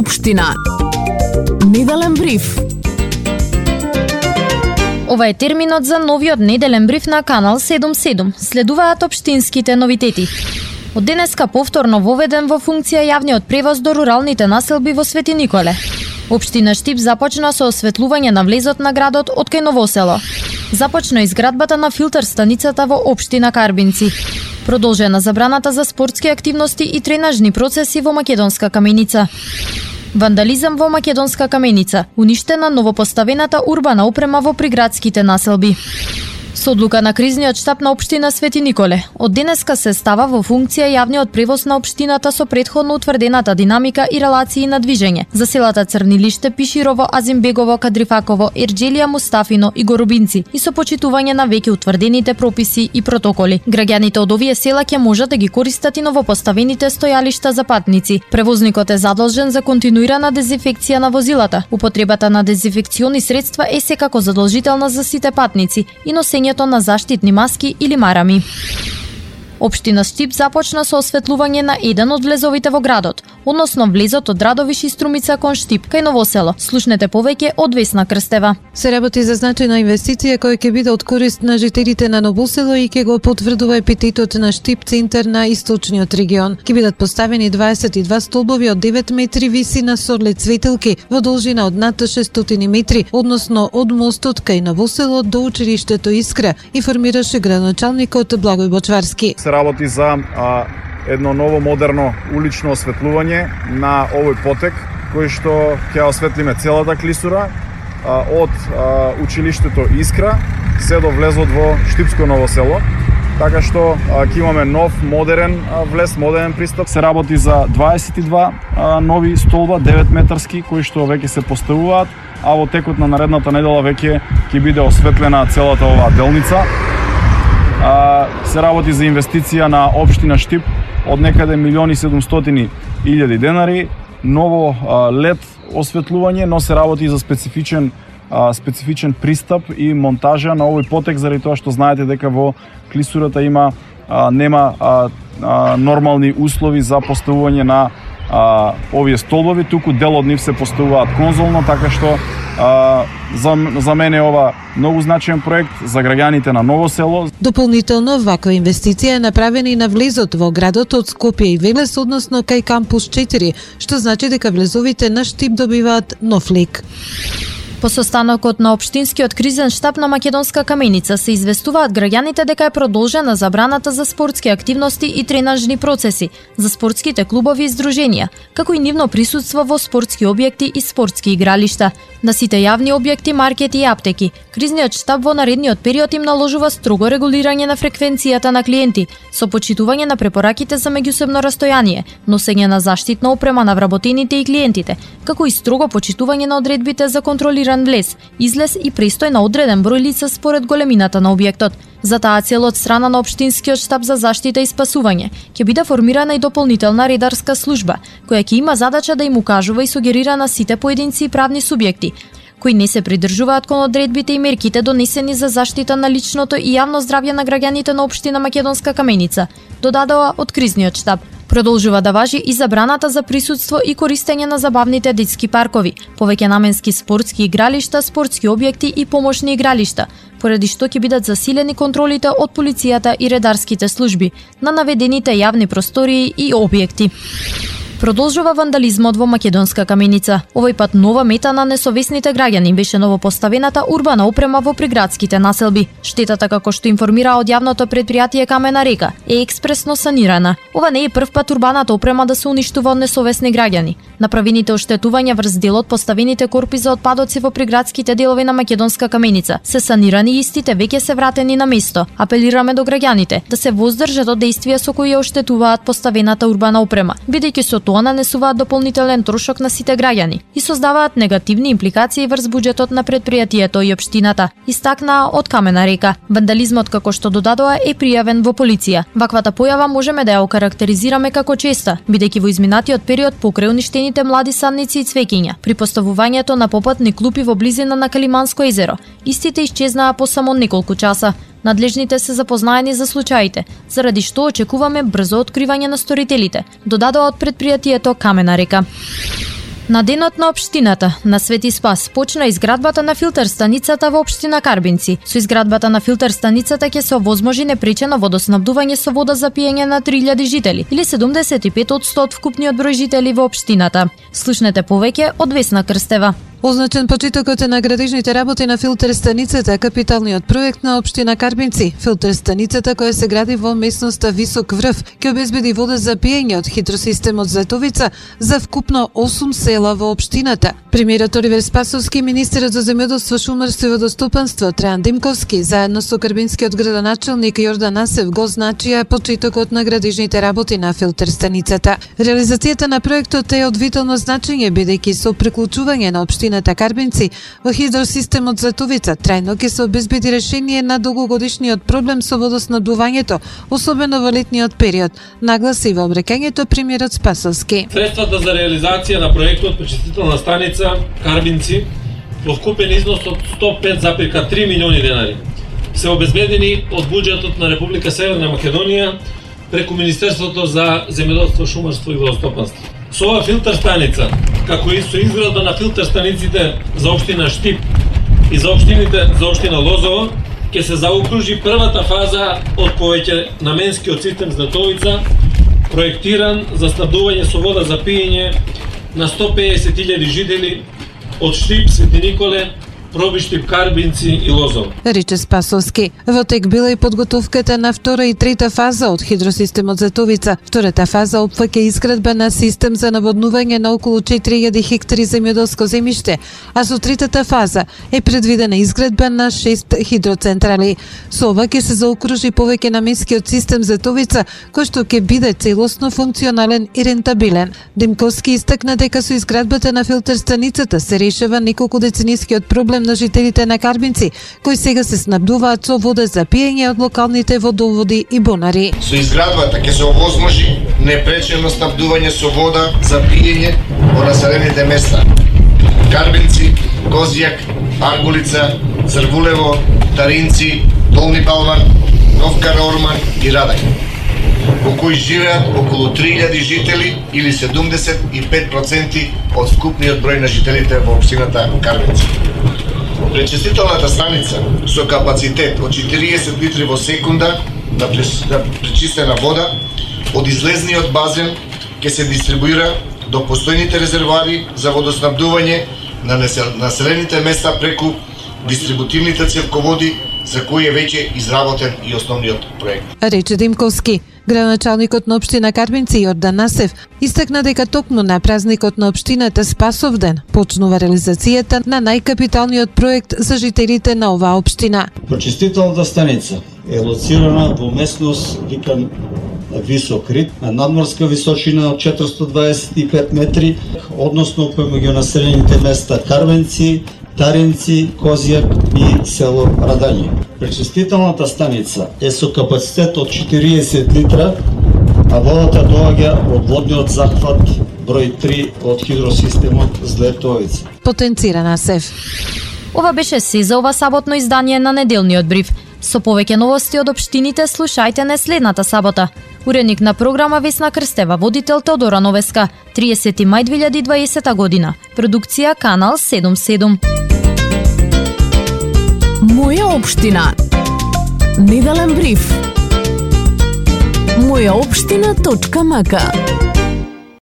општина. Неделен бриф. Ова е терминот за новиот неделен бриф на Канал 77. Следуваат општинските новитети. Од денеска повторно воведен во функција јавниот превоз до руралните населби во Свети Николе. Општина Штип започна со осветлување на влезот на градот од кај Новосело. Започна изградбата на филтер станицата во општина Карбинци. Продолжена забраната за спортски активности и тренажни процеси во Македонска Каменица. Вандализам во Македонска Каменица. Уништена новопоставената урбана опрема во приградските населби. Со одлука на кризниот штаб на општина Свети Николе, од денеска се става во функција јавниот превоз на општината со претходно утврдената динамика и релации на движење за селата Црнилиште, Пиширово, Азимбегово, Кадрифаково, Ерџелија, Мустафино и Горобинци и со почитување на веќе утврдените прописи и протоколи. Граѓаните од овие села ќе можат да ги користат и новопоставените стојалишта за патници. Превозникот е задолжен за континуирана дезинфекција на возилата. Употребата на дезинфекциони средства е секако задолжителна за сите патници и носењето на заштитни маски или марами. Општина Штип започна со осветлување на еден од влезовите во градот, односно влезот од Радовиш и Струмица кон Штип, кај Новосело. Слушнете повеќе од Весна Крстева. Се работи за значајна инвестиција која ќе биде од корист на жителите на Новосело и ќе го потврдува епитетот на Штип, центар на источниот регион. Ќе бидат поставени 22 столбови од 9 метри висина со LED светилки во должина од над 600 метри, односно од мостот кај Новосело до училиштето Искра, информираше градоначалникот Благој Бочварски. Работи за едно ново модерно улично осветлување на овој потек, кој што ќе осветлиме целата клисура од училиштето Искра се до влезот во Штипско Новосело, така што ќе имаме нов модерен влез, модерен пристап. Се работи за 22 нови столба 9 метарски кои што веќе се поставуваат, а во текот на наредната недела веќе ќе биде осветлена целата оваа делница. Се работи за инвестиција на општина Штип од некаде 1.700.000 денари, ново LED осветлување, но се работи за специфичен пристап и монтажа на овој потек, заради тоа што знаете дека во клисурата нема нормални услови за поставување на овие столбови, туку дел од нив се поставуваат конзолно, така што за мене е ова многу значаен проект за граѓаните на Новосело. Дополнително, ваква инвестиција е направена и на влезот во градот од Скопје и Велес, односно кај Кампус 4, што значи дека влезовите на Штип добиваат нов лик. По состанокот на општинскиот кризен штаб на Македонска Каменица се известуваат граѓаните дека е продолжена забраната за спортски активности и тренажни процеси за спортските клубови и здруженија, како и нивно присуство во спортски објекти и спортски игралишта. На сите јавни објекти, маркети и аптеки, кризниот штаб во наредниот период им наложува строго регулирање на фреквенцијата на клиенти, со почитување на препораките за меѓусебно растојание, носење на заштитна опрема на вработените и клиентите, како и строго почитување на одредбите за контролирање влез, излез и престој на одреден број лица според големината на објектот. За таа цел од страна на општинскиот штаб за заштита и спасување ќе биде формирана и дополнителна редарска служба, која ќе има задача да им укажува и сугерира на сите поединци и правни субјекти кои не се придржуваат кон одредбите и мерките донесени за заштита на личното и јавно здравје на граѓаните на општина Македонска Каменица, додадоа од кризниот штаб. Продолжува да важи и забраната за присуство и користење на забавните детски паркови, повеќе наменски спортски игралишта, спортски објекти и помошни игралишта, поради што ќе бидат засилени контролите од полицијата и редарските служби на наведените јавни простории и објекти. Продолжува вандализмот во Македонска Каменица. Овој пат нова мета на несовесните граѓани беше новопоставената урбана опрема во приградските населби. Штетата, како што информира од јавното предпријатие Камена река, е експресно санирана. Ова не е прв пат урбаната опрема да се уништува од несовесни граѓани. Направените оштетувања врз делот поставените корпи за отпадоци во приградските делови на Македонска Каменица се санирани и истите веќе се вратени на место. Апелираме до граѓаните да се воздржат од дејствија со кои ја оштетуваат поставената урбана опрема, бидејќи со тоа нанесуваат дополнителен трошок на сите граѓани и создаваат негативни импликации врз буџетот на предпријатието и општината, истакнаа од Камена река. Вандализмот, како што додадоа, е пријавен во полиција. Ваквата појава можеме да ја окарактеризираме како честа, бидејќи во изминатиот период покрај уништените млади садници и цвеќиња, при поставувањето на попатни клупи во близина на Калиманско езеро, истите исчезнаа по само неколку часа. Надлежните се запознаени за случаите, заради што очекуваме брзо откривање на сторителите, додадоа од предпријатието Камена река. На денот на општината на Свети Спас почна изградбата на филтер станицата во општина Карбинци. Со изградбата на филтер станицата ќе се овозможи непречено водоснабдување со вода за пиење на 3000 жители или 75% од вкупниот број жители во општината. Слушнете повеќе од Весна Крстева. Означен почетокот е на градежните работи на филтер станицата, капиталниот проект на општина Карбинци. Филтер станицата која се гради во местноста Висок Врв ќе обезбеди вода за пиење од хидросистемот Златовица за вкупно 8 села во општината. Премиерот Оливер Спасовски, министерот за земјоделство, шумарство и водостопанство Трајан Димковски, заедно со карбинскиот градоначелник Јордан Асев го означија почетокот на градежните работи на филтер станицата. Реализацијата на проектот е од витално значење бидејќи со приклучување на општината Карбинци во хидросистемот Златовица трајно ќе се обезбеди решение на долгогодишниот проблем со водоснабдувањето, особено во летниот период, нагласи во обрекањето премиерот Спасовски. Средствата за реализација на проектот пречистителна станица Карбинци во вкупен износ од 105,3 милиони денари се обезбедени од буџетот на Република Северна Македонија преку Министерството за земјоделство, шумарство и водостопанство. Со ова филтер станица, како и со изградба на филтер станиците за општина Штип и за општина Лозово, ќе се заокружи првата фаза од повеќе наменскиот систем Златовица, проектиран за снабдување со вода за пиење на 150.000 жители од Штип, Свети Николе, Пробиштип, Карбинци и Лозово. Рече Спасовски. Во тек била и подготовката на втора и трета фаза од хидросистемот Златовица. Втората фаза опфаќа изградба на систем за наводнување на околу 4000 хектари земјоделско земјиште, а со третата фаза е предвидена изградба на 6 хидроцентрали. Со ова ќе се заокружи повеќе наменскиот систем Златовица, кој што ќе биде целосно функционален и рентабилен. Димковски истакна дека со изградбата на филтер станицата се решава неколку деценискиот проблем на жителите на Карбинци, кои сега се снабдуваат со вода за пиење од локалните водоводи и бунари. Со изградбата ќе се овозможи непречено снабдување со вода за пиење во населените места Карбинци, Козјак, Аргулица, Црвулево, Таринци, Долни Балван, Нов Караорман и Радај, во кои живеат околу 3000 жители или 75% од вкупниот број на жителите во општината Карбинци. Пречистителната станица со капацитет од 40 литри во секунда на пречистена вода од излезниот базен ќе се дистрибуира до постојните резервоари за водоснабдување на населените места преку дистрибутивните цевководи за кои е веќе изработен и основниот проект. Рече Димковски. Градоначалникот на општина Карбинци Јордан Асев истакна дека токму на празникот на општината Спасовден почнува реализацијата на најкапиталниот проект за жителите на оваа општина. Пречистителната станица е лоцирана во местност викан Висок Рид, на надморска височина од 425 метри, односно помеѓу населените места Карбинци, Таринци, Козјак и село Радање. Пречистителната станица е со капацитет од 40 литра, а водата доаѓа од водниот захват број 3 од хидросистемот Златовица. Потенцира Асев. Ова беше се за ова саботно издание на неделниот бриф. Со повеќе новости од општините слушајте не следната сабота. Уредник на програма Весна Крстева, водител Теодора Новеска, 30 мај 2020 година. Продукција Канал 77. Моја општина. Неделен бриф. Мојаопштина.мк